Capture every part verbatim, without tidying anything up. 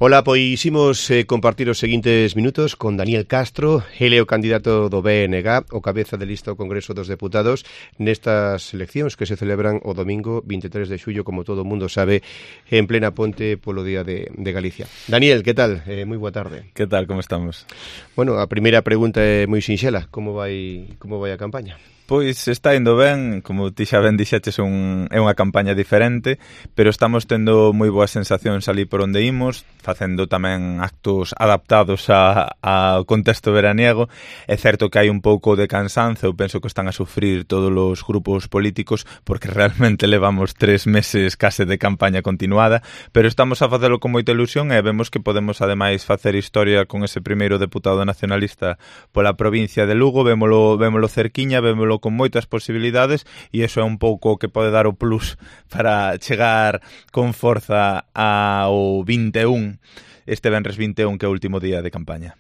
Ola, pois imos eh, compartir os seguintes minutos con Daniel Castro, ele é o candidato do B N G, o cabeza de lista ao Congreso dos Deputados, nestas eleccións que se celebran o domingo vinte e tres de xullo, como todo o mundo sabe, en plena ponte polo Día de, de Galicia. Daniel, que tal? Eh, moi boa tarde. Que tal, como estamos? Bueno, a primeira pregunta é moi sinxela, como vai, como vai a campaña? Pois está indo ben, como ti xa ben dixeches, un, é unha campaña diferente, pero estamos tendo moi boas sensacións ali por onde imos, facendo tamén actos adaptados a, ao contexto veraniego. É certo que hai un pouco de cansanzo, eu penso que están a sufrir todos os grupos políticos, porque realmente levamos tres meses case de campaña continuada, pero estamos a facelo con moita ilusión e vemos que podemos ademais facer historia con ese primeiro deputado nacionalista pola provincia de Lugo, vémolo, vémolo cerquiña, vémolo con moitas posibilidades e iso é un pouco o que pode dar o plus para chegar con forza ao vinte e un, este venres vinte e un que é o último día de campaña.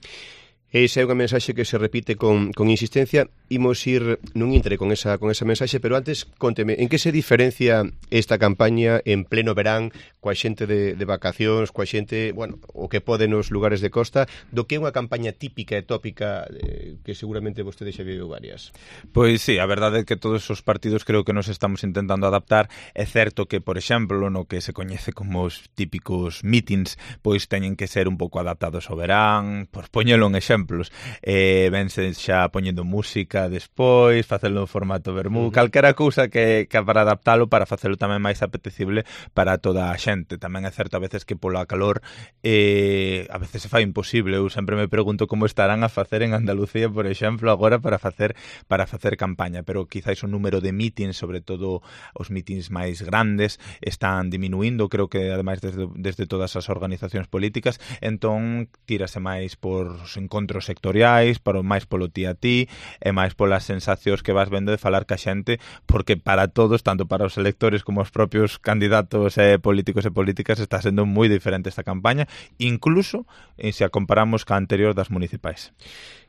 Esa é unha mensaxe que se repite con, con insistencia. Imos ir nun intre con esa, con esa mensaxe, pero antes, conteme, en que se diferencia esta campaña en pleno verán, coa xente de, de vacacións, coa xente, bueno, o que pode nos lugares de costa, do que é unha campaña típica e tópica eh, que seguramente vostede xa viu varias? Pois sí, a verdade é que todos os partidos creo que nos estamos intentando adaptar. É certo que, por exemplo, no que se coñece como os típicos meetings, pois teñen que ser un pouco adaptados ao verán, por poñelo en exemplo, exemplos, eh, vense xa poñendo música despois, facelo en formato vermú, uh -huh. calquera cousa que, que para adaptalo, para facelo tamén máis apetecible para toda a xente. Tamén é certo a veces que pola calor eh, a veces se fai imposible. Eu sempre me pregunto como estarán a facer en Andalucía, por exemplo, agora para facer para facer campaña, pero quizáis o número de meetings, sobre todo os meetings máis grandes, están diminuindo, creo que ademais desde, desde todas as organizacións políticas, entón tírase máis por os encontros sectoriais, para máis polo ti a ti e máis polas sensacións que vas vendo de falar ca xente, porque para todos, tanto para os electores como os propios candidatos e políticos e políticas, está sendo moi diferente esta campaña, incluso eh, se a comparamos ca anterior das municipais.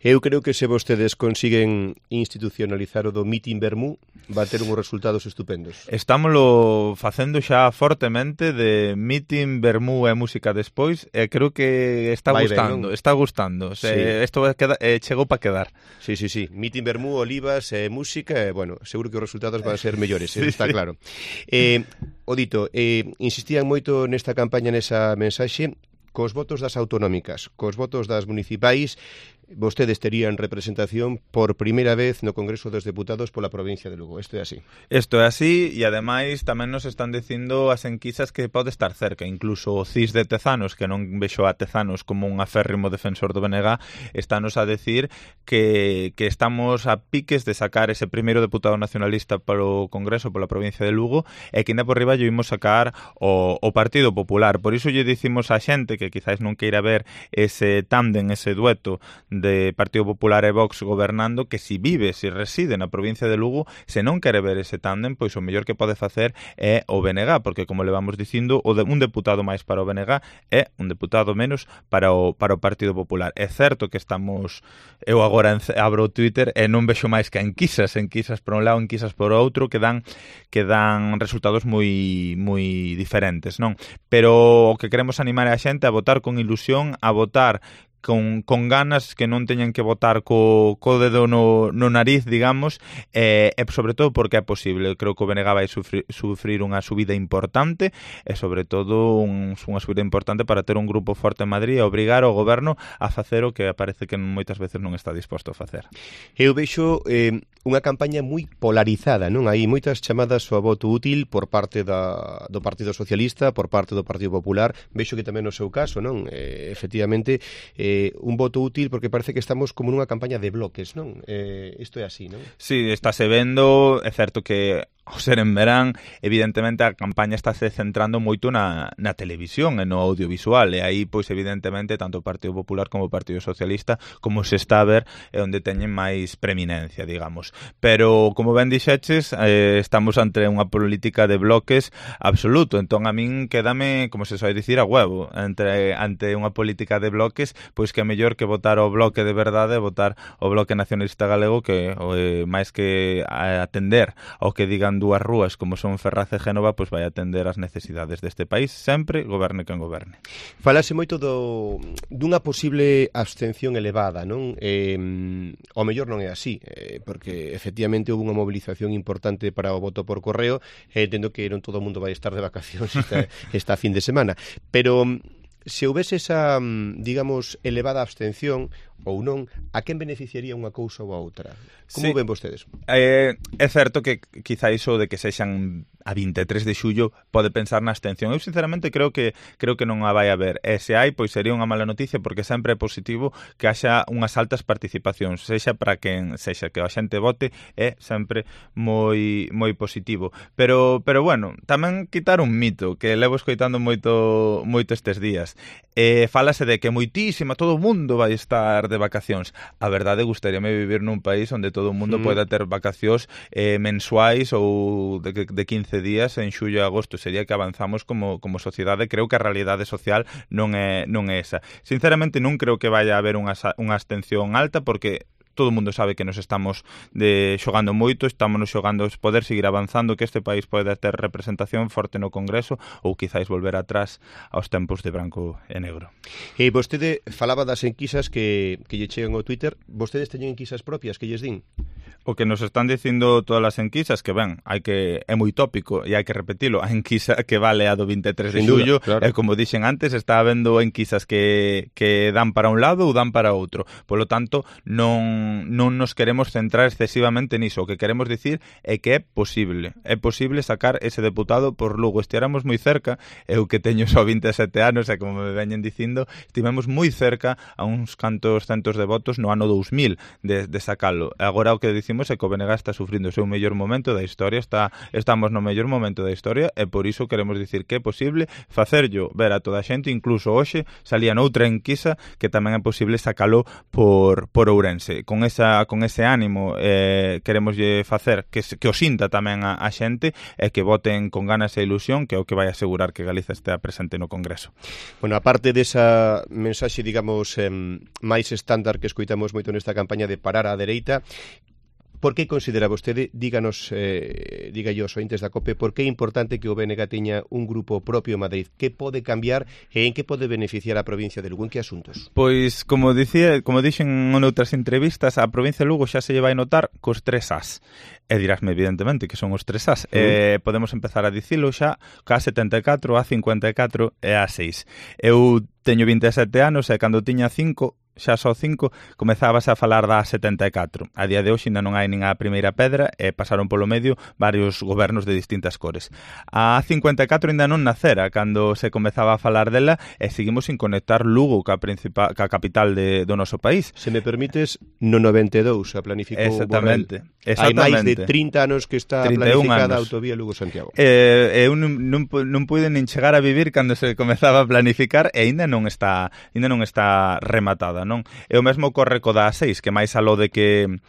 Eu creo que se vostedes consiguen institucionalizar o do meeting vermú, va a ter uns resultados estupendos. Estámoslo facendo xa fortemente de meeting, vermú e música despois, e creo que está Vai gustando, ben, está gustando. Sí. Isto eh, chegou para quedar. Sí, sí, sí. Meeting, vermú, olivas, eh, música, e, bueno, seguro que os resultados van a ser mellores, eh, sí, está claro. Eh, o dito, eh, insistían moito nesta campaña, nesa mensaxe, cos votos das autonómicas, cos votos das municipais, vostedes terían representación por primeira vez no Congreso dos Deputados pola provincia de Lugo. Isto é así. Isto é así, e ademais tamén nos están dicindo as enquisas que pode estar cerca. Incluso o C I S de Tezanos, que non vexo a Tezanos como un aférrimo defensor do B N G, estános a decir que, que estamos a piques de sacar ese primeiro deputado nacionalista polo Congreso pola provincia de Lugo, e que ainda por riba lle imos sacar o, o Partido Popular. Por iso lle dicimos a xente que quizáis non queira ver ese tándem, ese dueto de Partido Popular e Vox gobernando, que si vive, si reside na provincia de Lugo, se non quere ver ese tándem, pois o mellor que pode facer é o B N G, porque como le vamos dicindo, o de un deputado máis para o B N G é un deputado menos para o para o Partido Popular. É certo que estamos, eu agora abro o Twitter e non vexo máis que enquisas, enquisas por un lado, enquisas por outro, que dan que dan resultados moi moi diferentes, non? Pero o que queremos animar a xente a votar con ilusión, a votar con, con ganas, que non teñan que votar co, co dedo no, no nariz, digamos, e, e sobre todo porque é posible. Creo que o B N G vai sufrir, sufrir unha subida importante e sobre todo un, unha subida importante para ter un grupo forte en Madrid e obrigar o goberno a facer o que parece que moitas veces non está disposto a facer. Eu vexo eh, unha campaña moi polarizada, non? Hai moitas chamadas ao voto útil por parte da, do Partido Socialista, por parte do Partido Popular. Vexo que tamén no seu caso, non? Eh, efectivamente, eh, un voto útil, porque parece que estamos como nunha campaña de bloques, non? Eh, isto é así, non? Sí, estáse vendo, é certo que ao ser en verán, evidentemente a campaña estáse centrando moito na, na televisión e no audiovisual, e aí, pois, evidentemente, tanto o Partido Popular como o Partido Socialista, como se está a ver, é onde teñen máis preeminencia, digamos. todos. Pero, como ben dixeches, eh, estamos ante unha política de bloques absoluto. Entón, a min quédame, como se soe dicir, a huevo. Entre, ante unha política de bloques, pois que é mellor que votar o bloque de verdade, votar o Bloque Nacionalista Galego, que eh, máis que atender ao que digan dúas rúas como son Ferraz e Génova, pois vai atender as necesidades deste país, sempre, goberne quen goberne. Falase moito do, dunha posible abstención elevada, non? Eh, ao mellor non é así, eh, porque efectivamente houve unha movilización importante para o voto por correo, e eh, entendo que non todo o mundo vai estar de vacacións esta, esta fin de semana, pero se houvese esa, digamos, elevada abstención ou non, a quen beneficiaría unha cousa ou a outra? Como sí. ven vostedes? Eh, é certo que quizá iso de que sexan a vinte e tres de xullo pode pensar na abstención. Eu sinceramente creo que creo que non a vai haber. E se hai, pois sería unha mala noticia, porque sempre é positivo que haxa unhas altas participacións, sexa para quen sexa, que a xente vote é sempre moi moi positivo. Pero pero bueno, tamén quitar un mito que levo escoitando moito moito estes días. Eh, falase de que moitísima, todo o mundo vai estar de vacacións. A verdade, gustaríame vivir nun país onde todo o mundo mm. poida ter vacacións eh, mensuais ou de, de quince días en xullo e agosto. Sería que avanzamos como, como sociedade. Creo que a realidade social non é, non é esa. Sinceramente, non creo que vaya a haber unha, unha abstención alta, porque todo o mundo sabe que nos estamos de xogando moito, estamos nos xogando poder seguir avanzando, que este país pode ter representación forte no Congreso ou quizáis volver atrás aos tempos de branco e negro. E vostede falaba das enquisas que, que lle chegan ao Twitter. Vostedes teñen enquisas propias que lles din? O que nos están dicindo todas as enquisas, que ben, hai que é moi tópico e hai que repetilo, a enquisa que vale a do vinte e tres de xullo, claro. E como dixen antes, está habendo enquisas que, que dan para un lado ou dan para outro. Polo tanto, non, non nos queremos centrar excesivamente niso. O que queremos dicir é que é posible. É posible sacar ese deputado por Lugo. Estiramos moi cerca, eu que teño só vinte e sete anos, e como me veñen dicindo, estivemos moi cerca a uns cantos centos de votos no ano dous mil de, de sacalo. Agora o que dicimos é que o B N G está sufrindo o seu mellor momento da historia, está estamos no mellor momento da historia, e por iso queremos dicir que é posible facerllo ver a toda a xente. Incluso hoxe salía noutra enquisa que tamén é posible sacalo por, por Ourense. Con, esa, con ese ánimo eh, queremos facer que, que o sinta tamén a, a xente, e que voten con ganas e ilusión, que é o que vai asegurar que Galiza estea presente no Congreso. Bueno, aparte desa mensaxe, digamos, eh, máis estándar que escoitamos moito nesta campaña de parar á dereita, por que considera vostede, díganos, eh, diga yo, ointes da COPE, por que é importante que o B N G teña un grupo propio en Madrid? Que pode cambiar e en que pode beneficiar a provincia de Lugo? En que asuntos? Pois, como dicía, como dixen en outras entrevistas, a provincia de Lugo xa se lle vai notar cos tres As. E dirásme, evidentemente, que son os tres As. Uh-huh. Eh, podemos empezar a dicilo xa ca setenta e catro, a cincuenta e catro e a seis. Eu teño vinte e sete anos e cando tiña cinco, xa só cinco, comezabas a falar da setenta e catro. A día de hoxe ainda non hai nin a primeira pedra e pasaron polo medio varios gobernos de distintas cores. A cincuenta e catro ainda non nacera cando se comezaba a falar dela, e seguimos sin conectar Lugo ca, principal, ca capital de, do noso país. Se me permites, no noventa e dous a planificou Exactamente. Borrell. Exactamente. Hai máis de trinta anos que está planificada a autovía Lugo-Santiago. Eh, eu non, non, non pude nin chegar a vivir cando se comezaba a planificar, e ainda non está, ainda non está rematada, non? E o mesmo corre co da A seis, que máis aló de que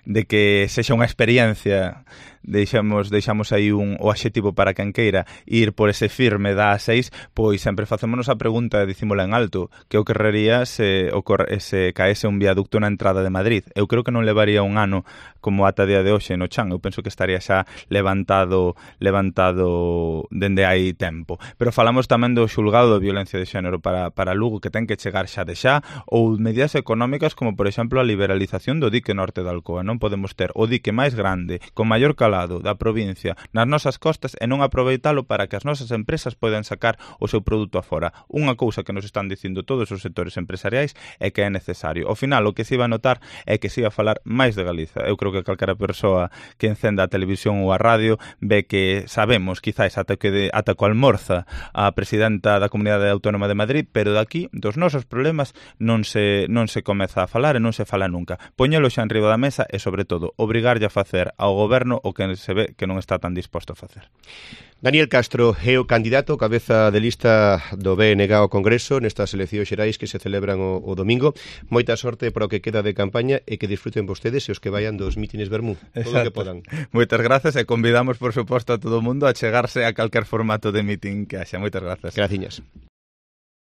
de que sexa unha experiencia, deixamos deixamos aí un o adxetivo para quen queira ir por ese firme da A seis, pois sempre facémonos a pregunta e dicímola en alto, que o querrería se, ocorre, se caese un viaducto na entrada de Madrid. Eu creo que non levaría un ano como ata día de hoxe no chan. Eu penso que estaría xa levantado levantado dende hai tempo. Pero falamos tamén do xulgado de violencia de xénero para, para Lugo, que ten que chegar xa de xa, ou medidas económicas como, por exemplo, a liberalización do dique norte de Alcoa. Non podemos ter o dique máis grande, con maior calado da provincia nas nosas costas, e non aproveitalo para que as nosas empresas poidan sacar o seu produto afora. Unha cousa que nos están dicindo todos os sectores empresariais é que é necesario. Ao final, o que se iba a notar é que se iba a falar máis de Galiza. Eu creo que calquera persoa que encenda a televisión ou a radio ve que sabemos, quizáis, ata que de, ata co almorza a presidenta da Comunidade Autónoma de Madrid, pero daqui, dos nosos problemas, non se, non se comeza a falar e non se fala nunca. Poñelo xa enriba da mesa e, sobre todo, obrigarlle a facer ao goberno o que se ve que non está tan disposto a facer. Daniel Castro é o candidato cabeza de lista do B N G ao Congreso nestas eleccións xerais que se celebran o, o domingo. Moita sorte para o que queda de campaña e que disfruten vostedes e os que vayan dos mítines Bermú, todo o que podan. Moitas grazas e convidamos, por suposto, a todo o mundo a chegarse a calquer formato de meeting que haxa. Moitas grazas. Graciñas.